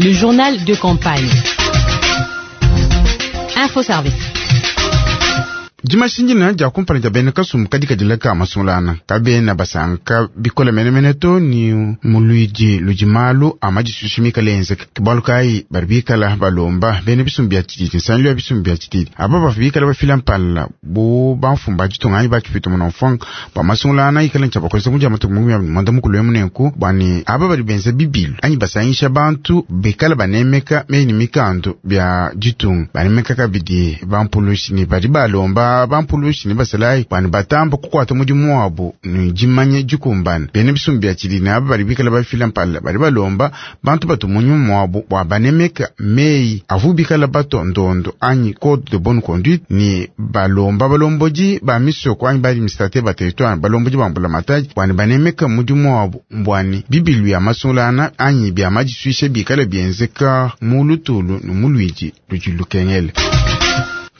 Le journal de campagne. Info Service. Dimashindina dia kumpala dia bena kasumbu kadi kadila ka masungulana kabena basanka bikole menemene to ni mu luidi ludi malu a madisusu mikale enzeka. Ke bualu kayi badi bikala balomba bena bisumbu bia tshididi, nsangilu ya bisumbu bia tshididi aba bavua bikala bafila mpala bu bamfumu ba ditunga anyi ba tshipito muna mfuanka bua masungulana ikala ne tshia bakolesa mu dia matuku 35 emu, nenku bua ne aba badi benza bibilu anyi basangisha bantu bikala banemeka meyi ne mikandu bia ditunga, banemeka kabidi bampulushi ne badi balomba bampulushi ne basalayi bua ne batamba kukuata mudimu wabu ne dimanya dikumbane. Bena bisumbu bia tshididi ne aba badi bikala bafila mpala badi balomba bantu batu mu nyuma wabu bua banemeka meyi avu bikala batua ndondo anyi code de bonne conduite, ne balomba balombodi ba misoko anyi ba administrateur ba territoire, balombodi ba mbulamatadi bua ne banemeka mudimu wabu bua ne bibilu bia masungulana anyi bia madisuisha bikala bienzeka mu lutulu ne mu luidi ludi lukengele.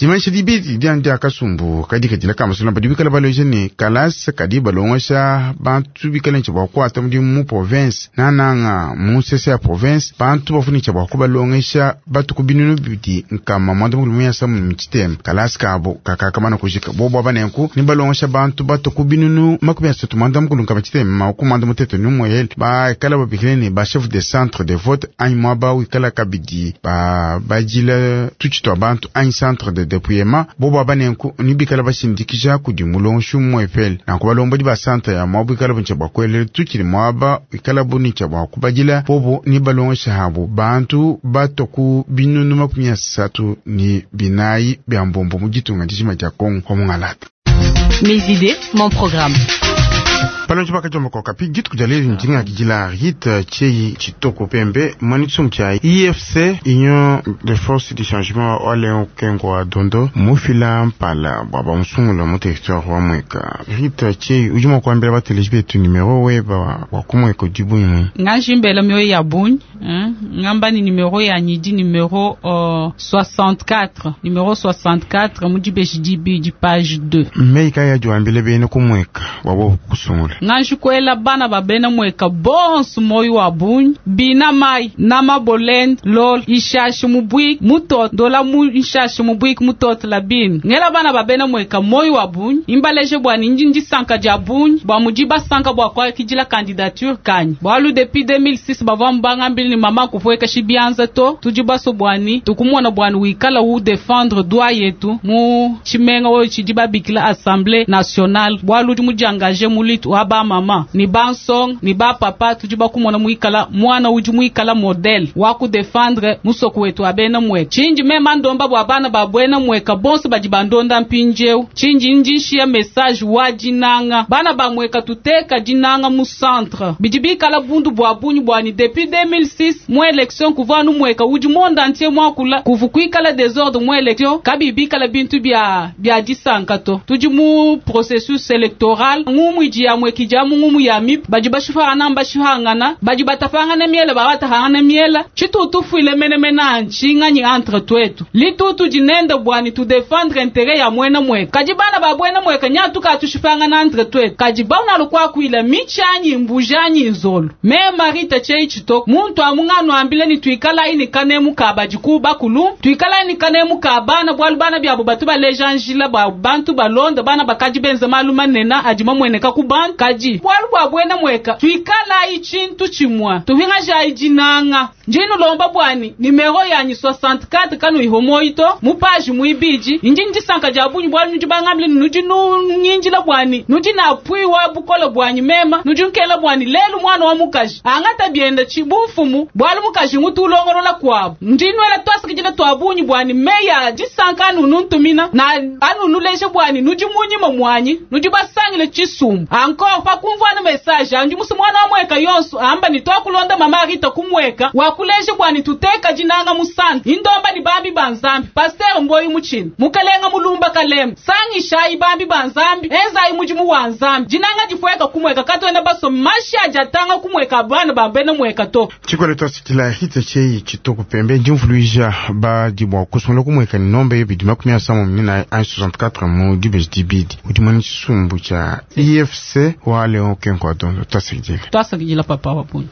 Dimanyisha dibidi dia dia kasumbu kadi kadila ka masungula badi bikala baleja ne kalasa kadi balongesha bantu bikala ne bua kuata mudimu mu province nananga mu nsese ya province, bantu bavua ne bua kubalongesha batuku 263. Kalasa kabo kakakamana kujika bobo aba nenku ne balongesha bantu batuku 336 681 bakala babikile ne ba chef de centre de vote anyi muaba wikala kabidi ba badila tutshi tua bantu anyi centre de dépouillement. Bobo aba nenku ni bikala bashindikisha kudi mulongeshi umuepele. Nanku balombodi ba centre ya muaba wikala bu bua kuelela tutshi ne muaba wikala bu ne bua kubadila bobo ni balongesha habo bantu batua ku 34 000 bia mbombo mu ditunga dijima dia Kongo wa mungalata. Mes idées, mon programme. Palonji bakajomba kwa kapi dituku dia lelu ndinga kidila Rita Tshei Tshitoko Pembe mwani tshisungu tshia IFC, Union de Force du Changement, wa Leon Kengo wa Dondo mufila mpala bua bamusungula mu territoire wa Mweka. Rita Tshei, udi mua kuambila bateleji betu numero weba wa kumweka udi bunyi? Ngajimbela mioyo ya bunyi hein? Ngamba ni numero ya nyidi numero 64, numero 64 mu dibeji dibidi, page 2. Mei kaya diwambile bene kumweka wabo kusungula? Nganji bana ba bena mweka bonso moyo wa bunyi bina mai na mabolende lol ishashi mubwiki mutot ndola mu ishashi mubwiki mutot la bini ngela bana ba bena mweka moyo wa bunyi imbaleje bwa ninji ndisanka dia bunyi bwa mudi basanka bwa kwakidila candidature kanyi bwalu depuis 2006 bavua mbangambili ni mama kuvueka shibianza to tudi baso bwani tukumona bwani wikala u défendre droit yetu mu tshimenga oyo tshidi babikila Assemblée nationale, bwalu udi mudiangaje mu lutte wa ba mama ni bansonga ni ba papa. Tudi bakumona muikala mwana udi muikala modèle wa kudéfendre musoko wetu wa bena mweka. Tshinji mema ndomba bua bana ba bwena mweka bonso badi bandonda mpindieu, tshinji ndi nshiya message wa dinanga. Bana ba mweka, tuteka dinanga mu centre. Bidi bikala bundu bua bunyi bwani depuis 2006 mu élection kuvua nu mweka udi monde entier mwakula kuvu kuikala désordre mu élection kabi bikala bintu bia bia disanka to. Tudi mu processus électoral, ngumu idi ya mweki dia mu ngumu ya mip badi bashifangana bashihangana badi batapangana miela babatahangana miela. Tshitutu fuile menemene antshinganyi entre twetu litutu dinende bwani tu défendre intérêt ya mwena mweka, kadi bana ba bwena mweka nyatu katushifangana entre twetu kadi bauna lukwakwila michanyi mbujanyi nzolo. Me Marita Tshei Tshitoko muntu amungano ambile ni tuikala ini kanemu ka badiku bakulu, tuikala ini kanemu ka bana, bwalu bana byabo batu baleja njila ba bantu balonda bana bakadi benza malu manena adi mamweneka ku bantu. Kadi bwalu bwa bwena mweka tuikala ichintu chimwa tuhingaja idinanga. Njinu lomba bwani numero yanyi 64 kanu ihomoito mu page muibidi. Inji ndisanka dia bunyi bwalu nudi bangambile nudi nunyinjila bwani nudi na appui wa bukola bwanyi mema nudi nkela bwani lelu mwana wa mukaji angata bienda chi bumfumu bwalu mukaji ngutu ulongolola kwabu. Ndinwela twasikijila twa bunyi bwani meya disanka anu nuntumina na anu nuleje bwani nudi munyima mwanyi nudi basangile chisumbu encore pakumvwana message andi musu mwana wa mweka yonso amba ni twakulonda mama Rita kumweka wakuleje bwani tuteka dinanga musante. Indomba ni bambi ba Nzambi, pasteur Mboyi muchini mukalenga mulumba kalema sangishayi bambi ba Nzambi enzayi mudimu wa Nzambi dinanga difweka kumweka katwena baso mashi ajatanga kumweka bana bambene mweka to. Tshikwelo twasikila Rita Tshei Tshitoko Pembe ndimvuluija badi bua kusungula kumweka ni nomba yebidi 64 164 mu dibeji dibidi, udi mwene tshisumbu tshia IFC wa Leon Kengo wa Dondo. Twasikidile. Twasakidila papa wa bunyi.